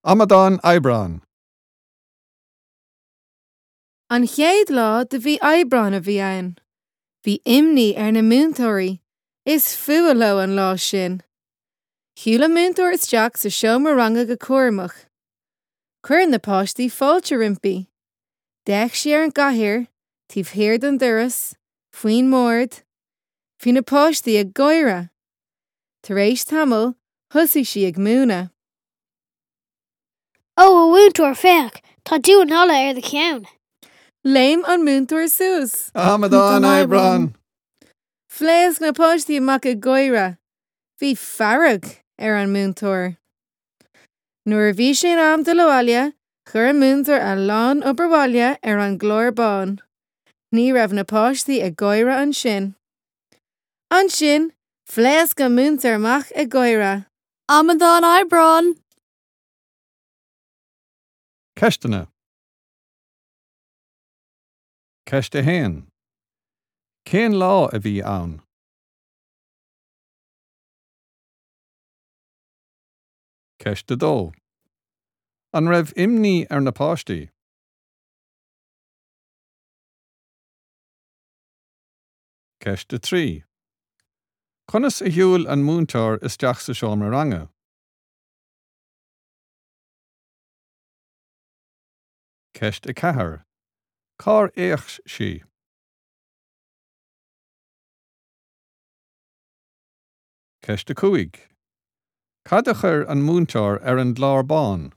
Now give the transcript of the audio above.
Amadán Aibreáin! An chéad lá de mhí Aibreáin a bhí ann. Bhí imní ar na múinteoirí, is fuath leo an lá sin. Shiúil an múinteoir isteach sa seomra ranga go cúramach. Chuir na páistí fáilte roimpi. D'fhéach sí ar an gcathaoir, taobh thiar den doras, faoin mbord. Bhí na páistí ag gáire. Tar éis tamaill, thosaigh sí ag múineadh. Ó, a mhúinteoir, féach! Tá damhán alla ar do cheann! Léim an múinteoir suas. Amadán Aibreáin! Phléasc na páistí amach ag gáire. Bhí fearg ar an múinteoir. Nuair a bhí sé in am dul abhaile, chuir an múinteoir a lán obair bhaile ar an gclár bán. Ní raibh na páistí ag gáire ansin. Ansin, phléasc an múinteoir amach ag gáire. Amadán Aibreáin! Ceisteanna. Ceist 1. Cén lá a bhí ann? Ceist 2. An raibh imní ar na páistí? Ceist 3. Conas a shiúil an múinteoir isteach sa seomra ranga? Ceist 4. Cár fhéach sí? Ceist 5. Cad a chuir an múinteoir ar an gclár bán?